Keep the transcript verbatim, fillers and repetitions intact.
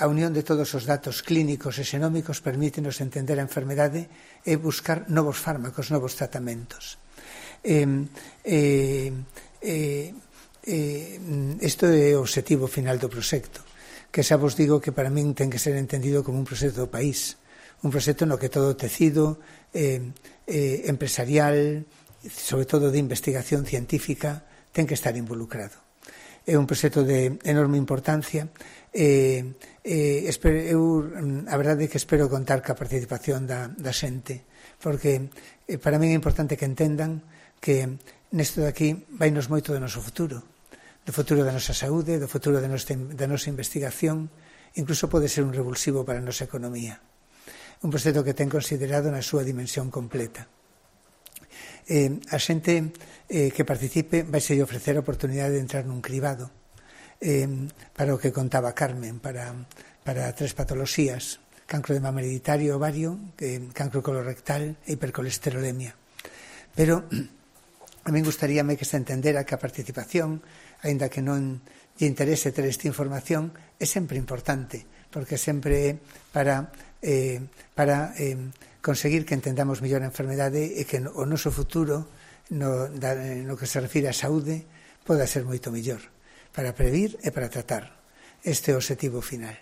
a unión de todos os datos clínicos e xenómicos permítenos entender a enfermedade e buscar novos fármacos, novos tratamentos. Eh, eh, eh, eh, isto é o obxectivo final do proxecto, que xa vos digo que para min ten que ser entendido como un proxecto do país, un proxecto no que todo o tecido eh, eh, empresarial, sobre todo de investigación científica, ten que estar involucrado. É un proxecto de enorme importancia e eh, espero, eu, a verdade é que espero contar ca participación da, da xente, porque eh, para min é importante que entendan que nesto de aquí vainos moito do noso futuro, do futuro da nosa saúde, do futuro da nosa, da nosa investigación, incluso pode ser un revulsivo para a nosa economía. Un proxecto que ten considerado na súa dimensión completa. Eh, a xente eh, que participe vai se ofrecer a oportunidade de entrar nun cribado eh, para o que contaba Carmen, para, para tres patoloxías: cancro de mama hereditario, ovario, eh, cancro colorectal e hipercolesterolemia. Pero a min gustaríame que se entendera que a participación, aínda que non lle interese ter esta información, é sempre importante, porque sempre é para, eh, para eh, conseguir que entendamos mellor a enfermedade e que o noso futuro, no, da, no que se refire á saúde, poda ser moito mellor, para previr e para tratar. Este é o obxectivo final.